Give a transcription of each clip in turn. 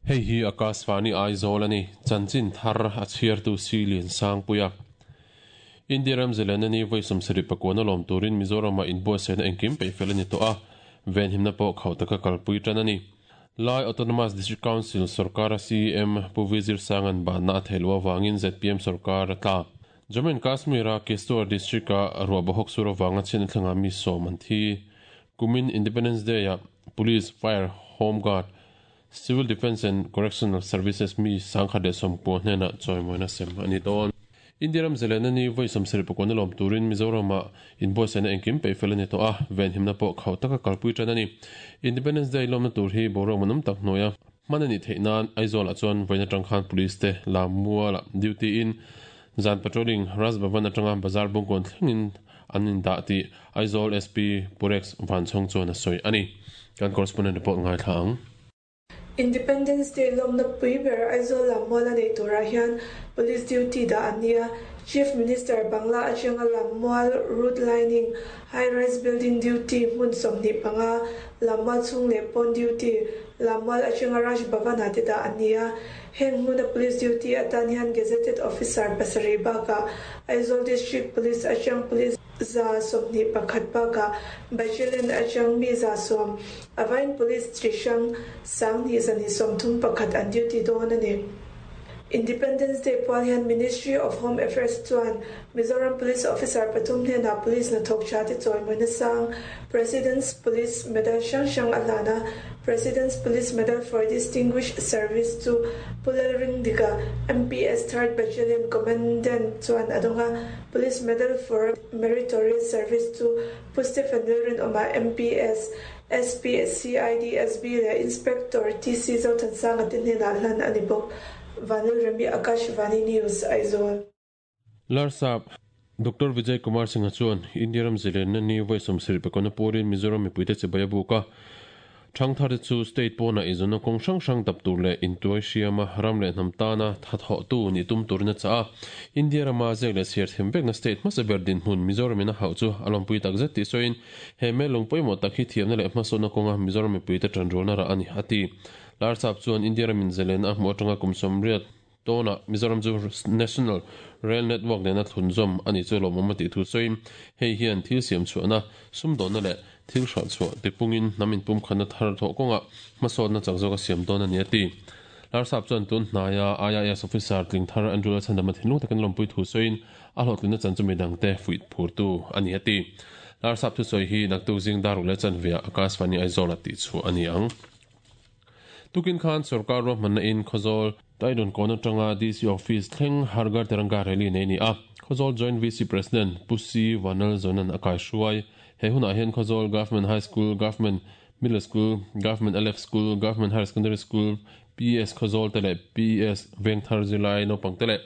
Hei hi Akashvani Aizawl a ni, chanchin thar a chhiartu Si Liansangpuia. India ram zilena ni vawi 70 pakuan a lawm turin Mizoramah inbuatsaihna engkim peih fel a ni tawh a, venhimna pawh khauh taka kalpui tan a ni. Lai Autonomous District Council sorkara CEM Pu V Zirsanga'n banna a theih loh avangin zpm sorkar a tla. Jammu and Kashmir-a Kishtwar district-a ruah bawhawk sur avanga chhiatna thlengah mi sawm an thi. Kumin Independence Day-ah Police, Fire, Home Guard, Civil Defence and Correctional Services mi 1190 hnenah chawimawina sem a ni dawn. India ram zalena ni vawi 70 pakuana lawm turin Mizoramah inbuatsaihna engkim peih fel a ni tawh a, venhimna pawh khauh taka kalpui tan a ni. Independence Day lawmna tur hi boruak manawm tak hnuaia hman a nih theih nan Aizawlah chuan vawiin atang khan Police te Lammualah duty in zan patrolling Raj Bhavan atanga Bazar Bungkawn thlengin an indah tih Aizawl SP Purex Vanchhawng chuan a sawi a ni. Kan correspondent report ngaithla ang. Independence Day lawmna pui ber Aizawl Lammual a neih turah hian Police duty dah an ni a, Chief Minister Bangla atanga Lammual route lining, High Rise Building duty hmun 25, Lammual chhung leh pawn duty, Lammual atanga Raj Bhavan ah te dah an ni a. Heng hmuna Police duty atan hian Gazetted Officer pasarih bakah Aizawl District Police atang Police 21 bakah Battalion atang mi 100, Avain Police chi hrang 1231 an duty dawn a ni. Independence Day pual hian Ministry of Home Affairs chuan Mizoram Police Officer pathum hnenah Police hnathawk tha te chawimawina sang President's Police Medal hrang hrang a hlan a, President's Police Medal for Distinguished Service chu Pu Lalringdika, MPS Third Battalion Commandant chuan a dawng a, Police Medal for Meritorious Service chu Pu Stephen Lalrinawma, MPS, SP, CID, SB leh Inspector TC Zothansanga te hnenah hlan a ni bawk. Vanlalremi, Akashvani News, Aizawl. Larsap, Doctor Vijay Kumar Singh-a chuan India ram zilenna ni vawi 70 pakawna puarin Mizoram mipuite chibai a buk a. Thangthar te chu state pawnah eizawnna kawng hrang hrang dap tur leh intuai hriama ram leh hnam tana thathawhtu nih tum turin a chah a. India rama zek leh chhiar them vekna state hmasa ber dinhmun Mizoramin a hauh chu a lawmpui takzet tih sawiin he mel lung pawimawh tak hi thiamna leh hmasawnna kawnga Mizoram mipuite tanrualna rah a ni, a ti. Larsap chuan India ramin zalen a hmuh atanga kum 80 Tawnah Mizoram chu National Rail Network nena thlunzawm a nih chu lawmawm a tih thu sawiin, hei hian thil siam chhuahna, sumdawnna leh thil hralh chhuah tipungin hnam inpumkhatna thar thawh kawngah hmasawnna chak zawk a siam dawn a ni a ti. Larsap chuan tun hnaia IAS officer tling thar Andrew Lalchhandama thinlung takin lawmpui thu sawiin, a hlawhtlinna chan chu midangte fuih phurtu a ni a ti. Larsap thusawi hi naktuk zing dar ruk leh chanveah Akashvani Aizawl-ah tihchhuah a ni ang. Tukin khan sorkar ruahmanna in Khawzawl Taidun kawn atanga DC Office thleng Har Ghar Tiranga rally nei a ni a. Khawzawl Joint VC President Pu C Vanlalzawnan a kaihruai. He hunah hian Khawzawl Government High School, Government Middle School, Government Aleph School, Government Higher Secondary School, PS Khawzawl te leh PS Vengthar zirlai naupang te leh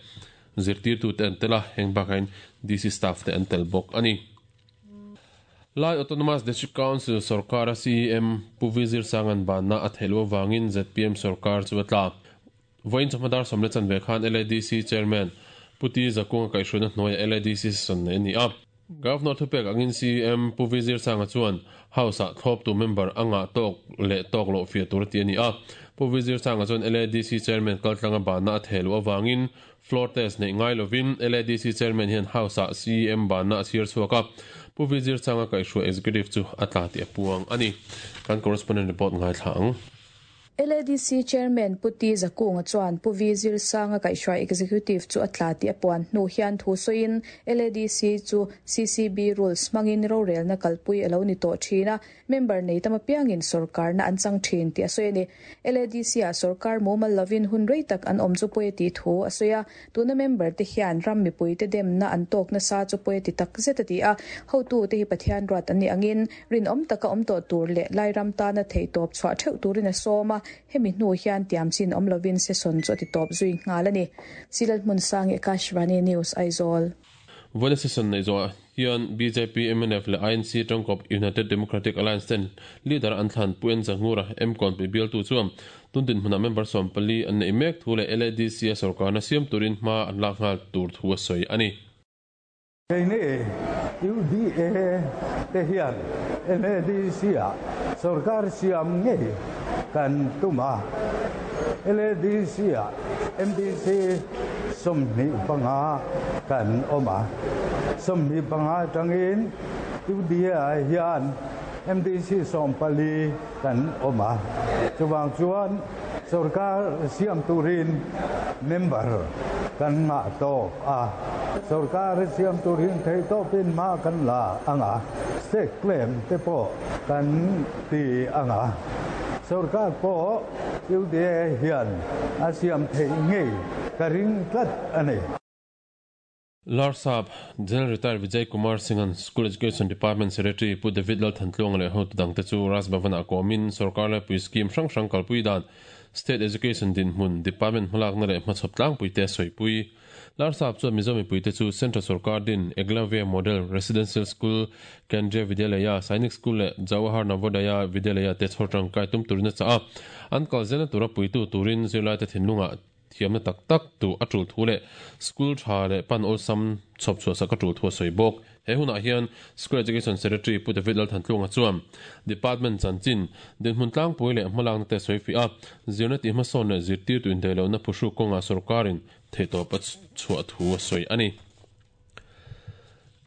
zirtirtute an tel a, heng bakah hian DC staff te an tel bawk a ni. Lai Autonomous District Council sorkara CEM Pu V Zirsanga'n banna a theih loh avangin zpm sorkar chu a tla. Vawiin chawhma dar sawm leh chanve khan LADC Chairman Pu T Zakunga kaihhruaina hnuaiah LADC session neih a ni a. Governor thupek angin CEM Pu V Zirsanga chuan House-ah thlawptu member a ngah tawk leh tawk loh fiah tur a ti a ni a. Pu V Zirsanga chuan LADC Chairman kaltlanga banna a theh loh avangin Floor test neih ngai lovin LADC Chairman hian House-ah CEM banna a chhiar chhuak a, Pu Vizir Changa kaihhruai Executive chu a tla tih a puang a ni. Kan correspondent report ngaithla ang. LADC Chairman Pu T Zakunga chuan Pu Vizir Sanga kaihhruai Executive chu a tla tih a puan hnu hian thu sawiin LADC chu CCB rules hmangin rorelna kalpui a lo ni tawh thin a, Member nei tam apiangin sorkarna an chang thin tih a sawi a ni. LADC-ah sorkar mumal lovin hun rei tak an awm chu pawi a tih thu a sawi a. Tuna member te hian ram mipuite demna an tawk nasa chu pawi a ti tak zet a ti a. Hotute hi Pathian ruat an nih angin rinawm taka awm tawh tur leh Lairam tana theihtawp chhuah theuh turin a sawm a. Hemi hnu hian tiam chin awm lovin session chu a ti tawp zui nghal a ni. Silal Hmunsangi, Akashvani News, Aizawl. Vawiina session neih zawhah hian bjp, mnf leh INC tangkawp United Democratic Alliance ten leader an thlan Pu N Zahngura, Mkawnpui bialtu chuan tun dinhmunah member 14 an neih mek thu leh LADC a sorkarna siam turin hma an lak nghal tur thu a sawi a ni. Keini UDA te hian LADC ah sorkar siam ngei kan tum a. LADC ah MDC 25 kan awm a, 25 atangin UDA ah hian MDC 14 kan awm a. Chuvang chuan sorkar siam turin member kan ngah tawk a, sorkar siam turin theihtawpin hma kan la ang a, state claim te pawh kan ti ang a, sorkar pawh UDA hian a siam theih ngei ka ring tlat a ni. Larsap, General Retired Vijay Kumar Singh-a'n School Education Department Secretary Pu David Lalthantluanga leh hotu dangte chu Raj Bhavan-ah kawmin sorkar laipui scheme hrang hrang kalpui dan, State Education dinhmun, Department hmalakna leh hmachhawp tlangpuite a sawipui. Larsap chuan Mizo mipuite chu Central sorkar din Eklavya Model Residential School, Kendriya Vidyalaya, Sainik School leh Jawahar Navodaya Vidyalaya te chhawr tangkai tum turin a chah a, an kal zelna tura puitu turin zirlaite thinlungah Thiamna tak tak tu a tul thu leh school tha leh pan awlsam chhawp chhuah sak a tul thu a sawi bawk. He hunah hian School Education Secretary Pu David Lalthantlunga chuan Department chanchin, dinhmun tlangpui leh hmalakna te a sawi fih a, zirna tih hmasawn leh zirtirtu indaihlohna phuhruk kawngah sawrkarin theihtawp a chhuah thu a sawi a ni.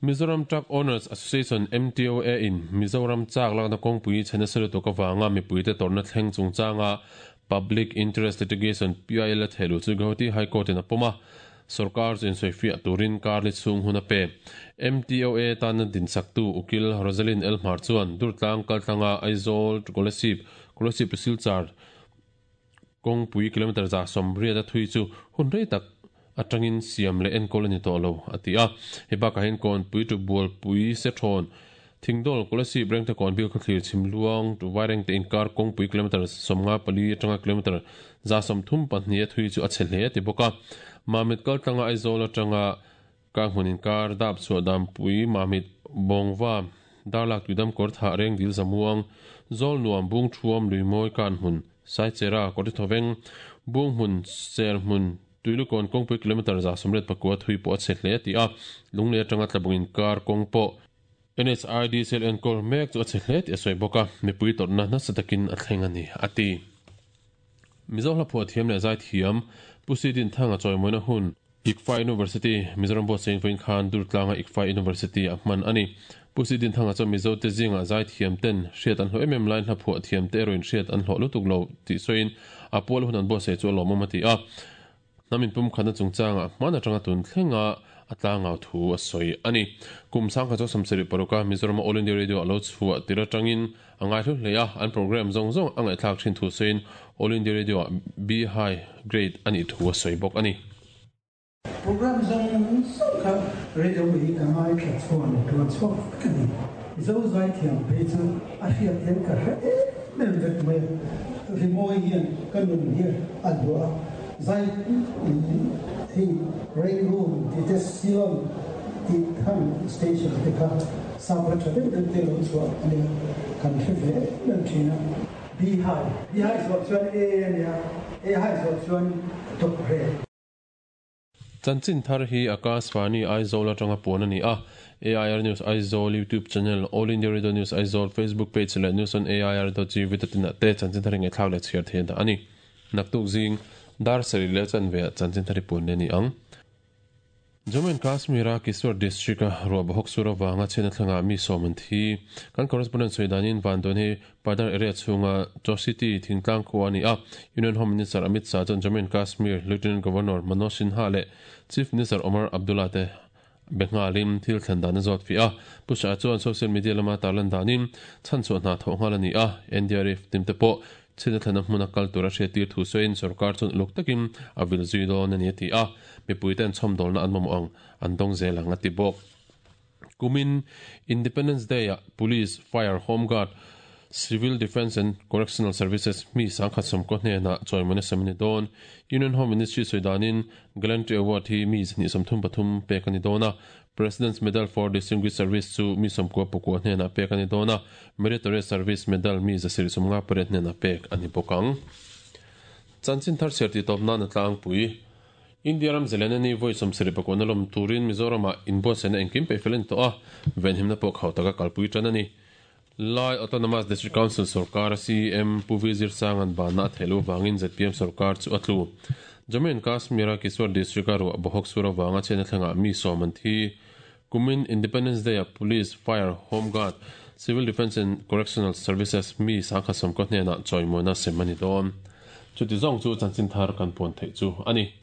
Mizoram Truck Owners Association, MTOA, in Mizoram chak lakna kawngpui chhe nasa lutuk avanga mipuite tawrhna thleng chungchanga Public Interest Litigation, PIL, a thehluh chu Guwahati High Court in a pawm a, sorkar chu insawifiah turin karli chhung hun a pe. MTOA tana dinsaktu Ukil Rosalyn Elhmar chuan Durtlang kaltlanga Aizawl to Kolasib, Kolasib to Silchar, Kawngpui kilometre 180 a thui chu hun rei tak atangin siam leh enkawl a ni tawh lo, a ti a. Hei bakah hian Kawnpui tu Bualpui Sethawn, Thingdawl, Kolasib, Rengtekawn, Bilkhawthlir, Chhimluang, tu Vairengte inkar kawngpui kilometre 54 atanga kilometre 132 a thui chu a chhe hle a ti bawk a. Mamit kaltlanga Aizawl atanga Ka hmun inkar dap chhuah dampui Mamit Bawngva Darlak Tuidam kawr thah reng dil zamuang Zawl nuam bung thuam Luimawi kan hmun Saichera kawrti thawveng Bung hmun Ser hmun Tuilukawn kawngpui kilometre 189 thui pawh a chhe hle a ti a, Lunglei atanga Tlabung inkar kawng pawh NHID cell enkawl mek chu a chhe hle tih a sawi bawk a, mipui tawrhna nasa takin a thleng a ni, a ti. Mizo hla phuah thiam leh zai thiam Pu Si Din Thanga chawimawina hun ICFA University, Mizoram Buatsaih vawiin khan Durtlanga ICFA University ah hman a ni. Pu Si Din Thanga chuan Mizo te zingah zai thiam ten hriat an hlawh em em laiin hla phuah thiam te erawhin hriat an hlawh lutuk lo tih sawiin a pual hun an buatsaih chu a lawmawm a ti a. Hnam inpumkhatna chungchangah hman atanga tun thlenga a tlangau thu a sawi a ni. Kum 1976 a Mizorama All India Radio a lo chhuah tir atangin a ngaihlu hle a, an programme zawng zawng a ngaihthlak thin thu sawiin All India Radio ah B High Grade a nih thu a sawi bawk a ni. Programme zawng zawng kha radio hi ka ngaithla chhuak leh tuan chhuak vek a ni. Mizo zaithiam phei chu a hriat hian ka hre em em vek mai a, rimawi hian ka nun hi a luah a. Zai hei Rangoon tih te Ceylon tih khang station te kha sap la tha deuh deuh te lo chhuah a nia kan hre ve em em thin a. B high, B high zawh chuan A a nia, A high zawh chuan top grade. Chanchin thar hi Akashvani Aizawl atanga puan a ni a, AIR News Aizawl YouTube channel, All India Radio News Aizawl Facebook page leh News on AIR dot gov dot in ah te chanchin thar hi ngaihthlak leh chhiar theih a dah a ni. Naktuk zing dar sarih leh chanve ah chanchin thar hi puan leh a ni ang. Jammu and Kashmir a Kishtwar district a ruah bahawk sur avanga chhiatna thlengah mi sawm an thi. Kan correspondent sawi danin Vanduan hi Padar area chhunga Chositi thingtlang khua a ni a. Union Home Minister Amit Shah chuan Jammu and Kashmir Lieutenant Governor Manoj Sinha leh Chief Minister Omar Abdullah te be nghalin thil thlen dan a zawt fih a. Pu Shah chuan social media lama tarlan danin chhanchhuah hna thawh nghal a ni a. NDRF team te pawh Chhina thlana hmuna kal tura hriattir thu sawiin sorkar chuan uluk takin a vil zui dawn a ni a ti a, mipuite an chhawmdawlna an mamawh ang an dawng zel ang a ti bawk. Kumin Independence Day-ah Police, Fire, Home Guard, Civil Defence and Correctional Services mi 1019 hnenah chawimawina sem a ni dawn. Union Home Ministry sawi danin Gallantry Award hi mi 233 pek a ni dawn a, President's Medal for Distinguished Service chu mi 99 hnenah pek a ni dawn a, Meritorious Service Medal mi 758 hnenah pek a ni bawk ang. Chanchin thar chhiar tih tawp nan a tlangpui. India ram zalen a ni vawi 79 na lawm turin Mizoramah inbuatsaihna engkim peih fel a ni tawh a, venhimna pawh khau taka kalpui tan a ni. Lai Autonomous District Council sorkar CEM Pu V Zirsanga'n banna a theih loh vangin zpm sorkar chu a tlu. Jammu and Kashmir-a Kishtwar District-a ruah bawhawk sur avanga chhiatna thlengah mi sawm an thi. Kumin Independence Day-ah Police, Fire, Home Guard, Civil Defence and Correctional Services mi sangkhat sawmkaw hnenah chawimawina sem a ni dawn. Chuti zawng chu chanchin thar kan puan theih chu a ni.